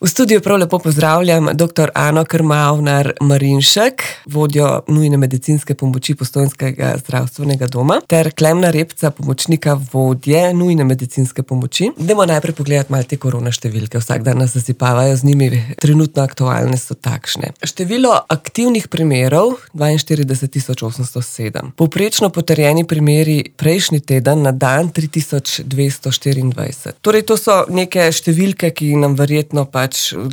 V studiu prav lepo pozdravljam dr. Ano Krmavnar-Marinšek, vodjo nujne medicinske pomoči Postojnskega zdravstvenega doma, ter Klemna Repca, pomočnika vodje nujne medicinske pomoči. Dajmo najprej pogledati malo te korona številke. Vsak dan nas zasipavajo z njimi, trenutno aktualne so takšne. Število aktivnih primerov 42.807. Povprečno potrjeni primeri prejšnji teden na dan 3224. Torej to so neke številke, ki nam verjetno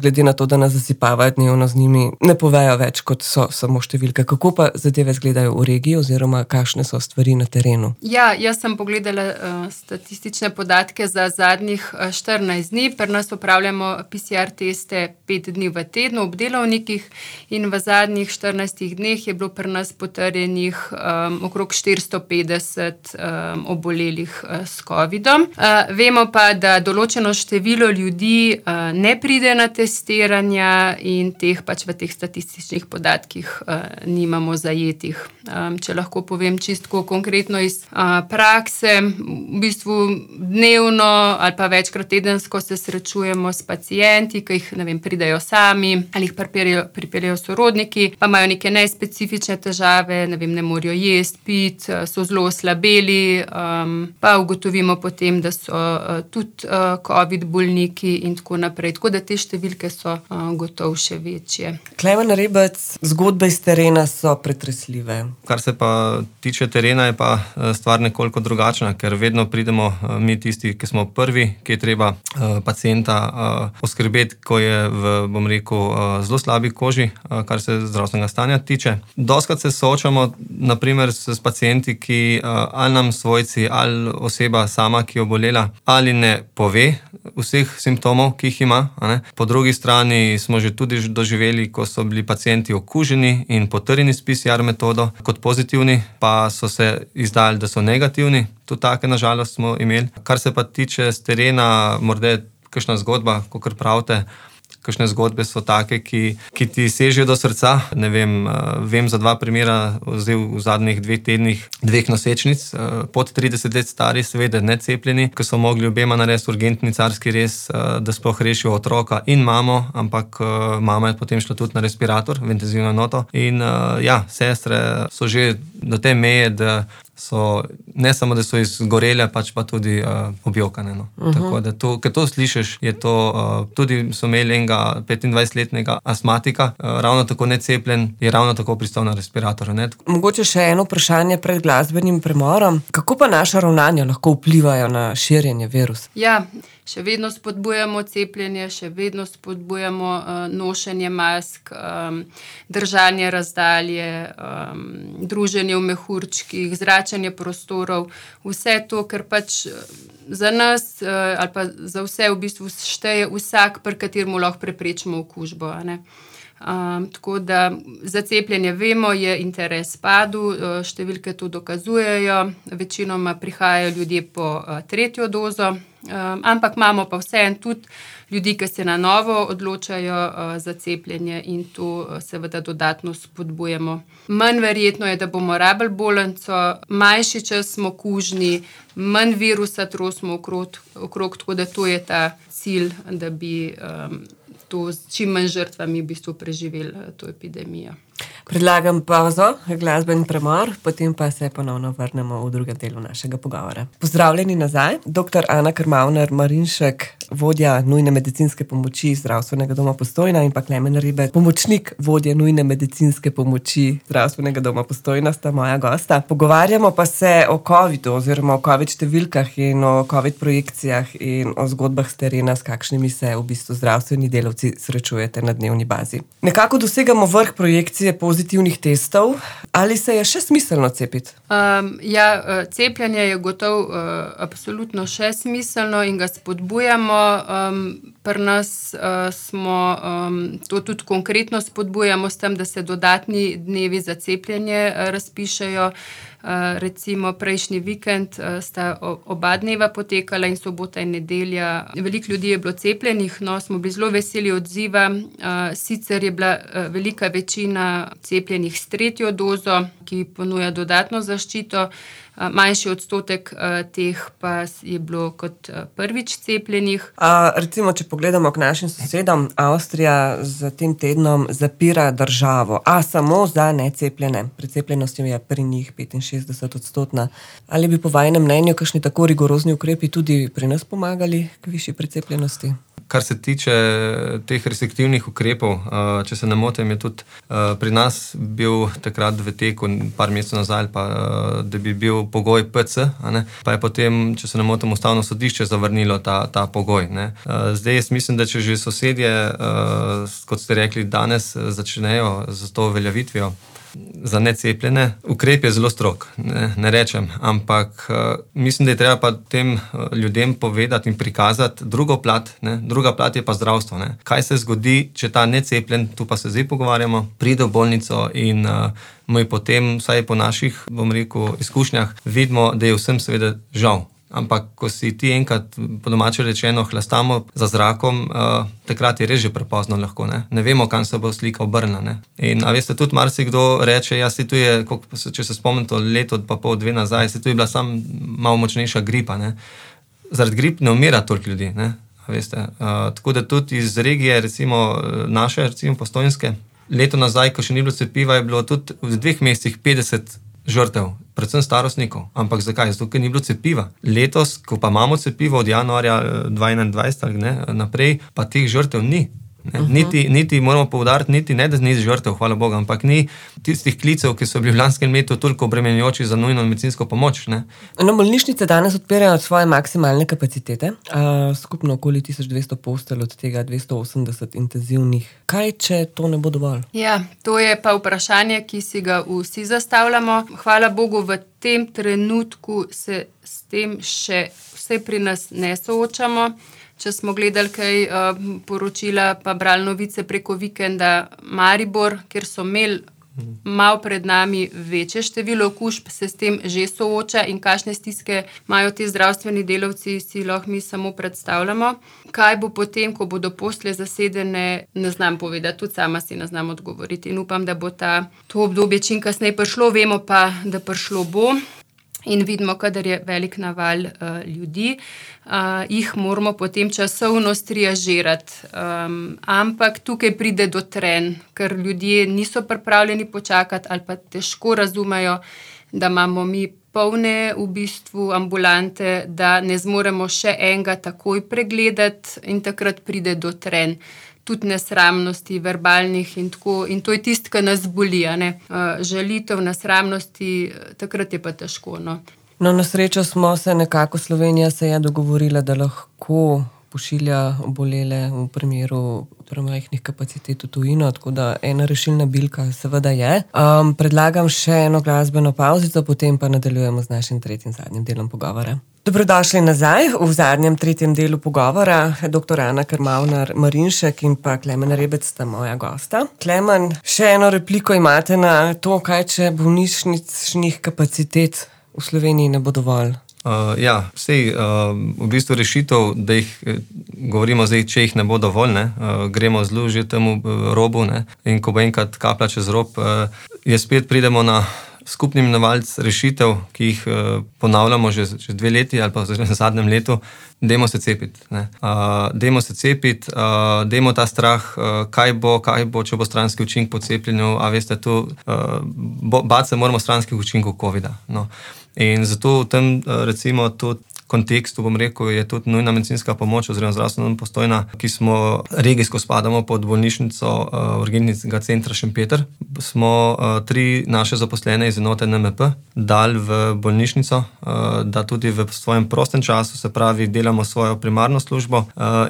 glede na to, da nas zasipavajo dnevno z njimi, ne povejo več, kot so samo številke. Kako pa zadeve izgledajo v regiji oziroma kakšne so stvari na terenu? Ja, jaz sem pogledala statistične podatke za zadnjih 14 dni. Pri nas opravljamo PCR teste 5 dni v tednu ob delovnikih in v zadnjih 14 dneh je bilo pri nas potrjenih okrog 450 obolelih s covidom. Vemo pa, da določeno število ljudi ne pride na testiranja in teh v teh statističnih podatkih nimamo zajetih. Če lahko povem čisto konkretno iz prakse, v bistvu dnevno ali pa večkrat tedensko se srečujemo s pacienti, ki jih, pridejo sami ali jih pripeljejo sorodniki, pa imajo neke nespecifične težave, ne morejo jesti, piti, so zelo oslabeli, pa ugotovimo potem, da so tudi covid bolniki in tako naprej. Tako da te številke so gotovo še večje. Klemen Rebec, zgodbe iz terena so pretresljive. Kar se pa tiče terena, je pa stvar nekoliko drugačna, ker vedno pridemo mi tisti, ki smo prvi, ki je treba pacienta oskrbeti, ko je v, zelo slabi koži, kar se zdravstvenega stanja tiče. Dostikrat se soočamo, naprimer, s pacienti, ki ali nam svojci, ali oseba sama, ki je obolela, ali ne pove vseh simptomov, ki jih ima. Po drugi strani smo že tudi doživeli, ko so bili pacienti okuženi in potrjeni s PCR metodo kot pozitivni, pa so se izdali, da so negativni. Tudi take na žalost smo imeli. Kar se pa tiče s terena, morda je kakšna zgodba, kakor pravite, kakšne zgodbe so take, ki ti sežejo do srca. Vem za 2 primera v zadnjih 2 tednih 2 nosečnic, pod 30 let stari, seveda necepljeni, ki so mogli obema narediti urgentni carski rez, da sploh rešijo otroka in mamo, ampak mama je potem šla tudi na respirator, v intenzivno enoto. In sestre so že do te meje, da so, ne samo, da so izgorele, pa tudi objokane. Tako da ker to slišiš, je to, tudi so imeli enega 25-letnega astmatika, ravno tako necepljen, je ravno tako pristal na respirator. Mogoče še eno vprašanje pred glasbenim premorom. Kako pa naša ravnanja lahko vplivajo na širjenje virusa? Ja, še vedno spodbujamo cepljenje, še vedno spodbujamo nošenje mask, držanje razdalje, druženje v mehurčkih, zračenje prostorov, vse to, ker za nas ali pa za vse v bistvu šteje vsak, pri kateremu lahko preprečimo okužbo. Tako da za cepljenje vemo, je interes padel, številke to dokazujejo, večinoma prihajajo ljudje po 3. dozo, ampak imamo pa vseeno tudi ljudi, ki se na novo odločajo za cepljenje in to seveda dodatno spodbujamo. Manj verjetno je, da bomo rabili bolnico, manjši čas smo kužni, manj virusa trosimo okrog, tako da to je ta cilj, da bi to s čim manj žrtvami v bistvu preživeli to epidemijo. Predlagam pauzo, glasbeni premor, potem pa se ponovno vrnemo v drugem delu našega pogovora. Pozdravljeni nazaj, dr. Ana Krmavnar-Marinšek, vodja nujne medicinske pomoči Zdravstvenega doma Postojna in pa Klemen Rebec, pomočnik vodje nujne medicinske pomoči Zdravstvenega doma Postojna, sta moja gosta. Pogovarjamo pa se o covidu oziroma o covid številkah in o covid projekcijah in o zgodbah s terena, s kakšnimi se v bistvu zdravstveni delavci srečujete na dnevni bazi. Nekako dosegamo vrh projekcije pozitivnih testov. Ali se je še smiselno cepiti? Cepljenje je gotovo absolutno še smiselno in ga spodbujamo. Pri nas smo to tudi konkretno spodbujamo s tem, da se dodatni dnevi za cepljenje razpišejo. Recimo prejšnji vikend sta oba dneva potekala in sobota in nedelja. Veliko ljudi je bilo cepljenih, smo bili zelo veseli odziva. Sicer je bila velika večina cepljenih s 3. dozo, ki ponuja dodatno zaščito. manjši odstotek teh pa je bilo kot prvič cepljenih. Recimo, če pogledamo k našim sosedom, Avstrija z tem tednom zapira državo, a samo za necepljene. Precepljenost je pri njih 65%. Ali bi po vajinem mnenju kakšni tako rigorozni ukrepi tudi pri nas pomagali k višji precepljenosti? Kar se tiče teh restriktivnih ukrepov, če se ne motim, je tudi pri nas bil takrat v teku par mesecev nazaj, da bi bil pogoj PC, pa je potem, če se ne motim, Ustavno sodišče zavrnilo ta pogoj. Zdaj jaz mislim, da če že sosedje, kot ste rekli, danes začnejo z to uveljavitvijo za necepljene, ukrep je zelo strog, ne rečem, ampak mislim, da je treba pa tem ljudem povedati in prikazati drugo plat, druga plat je pa zdravstvo. Kaj se zgodi, če ta necepljen, tu pa se zdaj pogovarjamo, pride v bolnico in mi potem, vsaj po naših, bom rekel, izkušnjah, vidimo, da je vsem seveda žal. Ampak, ko si ti enkrat, po domače rečeno, hlastamo za zrakom, takrat je res že prepozno lahko. Ne vemo, kam se bo slika obrnila. In veste, tudi marsikdo reče, ja, tu je, če se spomnim to leto, pa pol, 2 nazaj, tu je bila samo malo močnejša gripa. Zaradi grip ne umira toliko ljudi. Veste, tako da tudi iz regije, recimo naše, recimo Postojnske, leto nazaj, ko še ni bilo cepiva, je bilo tudi v 2 mesecih 50 žrtev, predvsem starostnikov. Ampak zakaj? Zato, ker ni bilo cepiva. Letos, ko pa imamo cepivo od januarja 2021 naprej, pa teh žrtev ni. Niti moramo poudariti, niti ne, da ni žrtev, hvala Bogu, ampak ni tistih klicev, ki so bili v lanskem letu toliko obremenjujoči za nujno medicinsko pomoč. Bolnišnice danes odpirajo svoje maksimalne kapacitete, skupno okoli 1200 postelj, od tega 280 intenzivnih. Kaj, če to ne bo dovolj? Ja, to je pa vprašanje, ki si ga vsi zastavljamo. Hvala Bogu, v tem trenutku se s tem še vse pri nas ne soočamo. Če smo gledali kaj poročila, pa brali novice preko vikenda, Maribor, kjer so imeli malo pred nami večje število okužb, se s tem že sooča in kakšne stiske imajo ti zdravstveni delavci, si lahko mi samo predstavljamo. Kaj bo potem, ko bodo postelje zasedene, ne znam povedati, tudi sama si ne znam odgovoriti in upam, da bo to obdobje čim kasneje prišlo, vemo pa, da prišlo bo. In vidimo, kadar je velik naval ljudi, jih moramo potem časovno striažirati. Ampak tukaj pride do trenj, ker ljudje niso pripravljeni počakati ali pa težko razumejo, da imamo mi polne v bistvu ambulante, da ne zmoremo še enega takoj pregledati in takrat pride do trenj. Tudi nesramnosti, verbalnih in tako. In to je tisto, kar nas boli. Žalitev, nesramnosti, takrat je pa težko. Na srečo smo se nekako, Slovenija se je dogovorila, da lahko pošilja obolele v primeru premajhnih kapacitet v tujino, tako da ena rešilna bilka seveda je. Predlagam še eno glasbeno pavzico, potem pa nadaljujemo z našim tretjim zadnjim delom pogovora. Dobrodošli nazaj v zadnjem tretjem delu pogovora. Dr. Ana Krmavnar-Marinšek in pa Klemen Rebec sta moja gosta. Klemen, še eno repliko imate na to, kaj če bolnišničnih kapacitet v Sloveniji ne bo dovolj? V bistvu rešitev, da jih govorimo zdaj, če jih ne bo dovolj, gremo zelo že temu robu, in ko bo enkrat kaplja čez rob, spet pridemo na skupni imenovalec rešitev, ki jih ponavljamo že 2 leti ali pa v zadnjem letu. Dajmo se cepiti. Dajmo ta strah, kaj bo, če bo stranski učinek po cepljenju, a veste, tu bati se moramo stranskih učinkov COVID-a. In zato v tem, recimo, tudi kontekstu, bom rekel, je tudi nujna medicinska pomoč oziroma zdravstveno Postojna, ki smo regijsko spadamo pod bolnišnico urgentnega centra Šempeter. Smo 3 naše zaposlene iz enote NMP dali v bolnišnico, da tudi v svojem prostem času, se pravi, delamo svojo primarno službo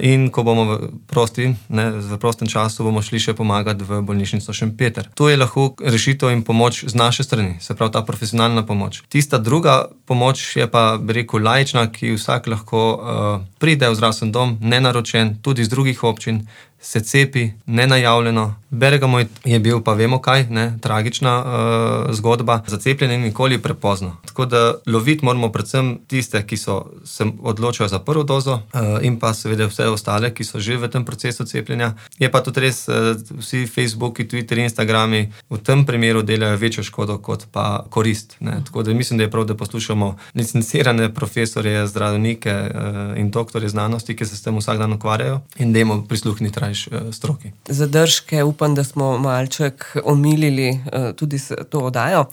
in ko bomo v prostem času, bomo šli še pomagati v bolnišnico Šempeter. To je lahko rešitev in pomoč z naše strani, se pravi ta profesionalna pomoč. Tista druga pomoč je pa, bi rekel, laična, ki vsak lahko pride v zdravstveni dom, nenaročen, tudi iz drugih občin se cepi, nenajavljeno. Bergamo je bil, pa vemo kaj, tragična zgodba. Za cepljenje nikoli prepozno. Tako da loviti moramo predvsem tiste, ki se odločajo za prvo dozo in pa seveda vse ostale, ki so že v tem procesu cepljenja. Je pa tudi res, vsi Facebooki, Twitter, Instagrami v tem primeru delajo večjo škodo kot pa korist. Tako da mislim, da je prav, da poslušamo licencirane profesorje, zdravnike in doktorje znanosti, ki se s tem vsak dan ukvarjajo in dajmo prisluhniti rajš stroki. Zadržke, upam, da smo malček omilili tudi to oddajo.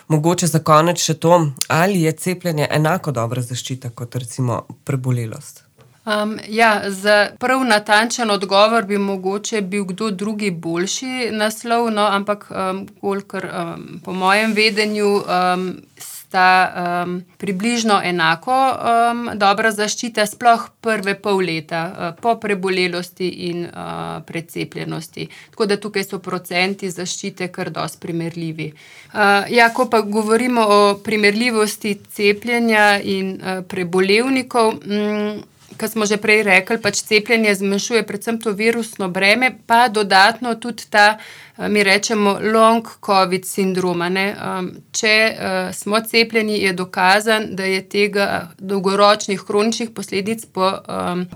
Mogoče za konec še to, ali je cepljenje enako dobra zaščita kot recimo prebolelost? Za prav natančen odgovor bi mogoče bil kdo drugi boljši naslov, ampak kolikor po mojem vedenju sta približno enako dobra zaščita, sploh prve pol leta po prebolelosti in precepljenosti. Tako da tukaj so procenti zaščite kar dosti primerljivi. Ko pa govorimo o primerljivosti cepljenja in prebolevnikov, kot smo že prej rekli, cepljenje zmanjšuje predvsem to virusno breme, pa dodatno tudi ta, mi rečemo, long COVID sindroma. Če smo cepljeni, je dokazan, da je tega dolgoročnih kroničnih posledic po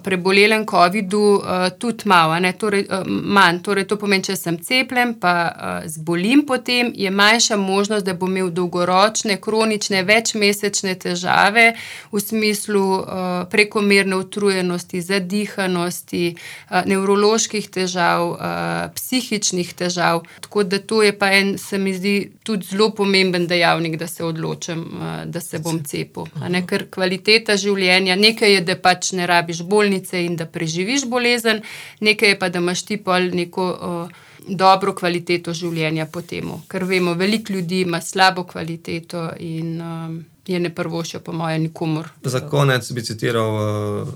prebolelem COVID-u tudi manj. Torej, to pomeni, če sem cepljen, pa zbolim potem, je manjša možnost, da bom imel dolgoročne, kronične, večmesečne težave v smislu prekomerne utrujenosti, zadihanosti, nevroloških težav, psihičnih težav. Tako da to je pa se mi zdi tudi zelo pomemben dejavnik, da se odločim, da se bom cepil. Ker kvaliteta življenja, nekaj je, da ne rabiš bolnice in da preživiš bolezen, nekaj je pa, da imaš ti pol neko dobro kvaliteto življenja po temu. Ker vemo, veliko ljudi ima slabo kvaliteto in je ne prvošča po mojem nikomur. Za konec bi citiral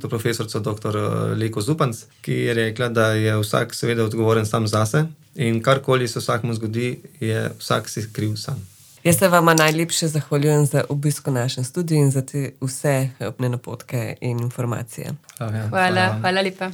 profesorico dr. Leko Zupanc, ki je rekla, da je vsak seveda odgovoren sam zase in karkoli se vsakmu zgodi, je vsak si kriv sam. Jaz se vama najlepše zahvaljujem za obisk v našem studiu in za te vse napotke in informacije. Hvala lepa.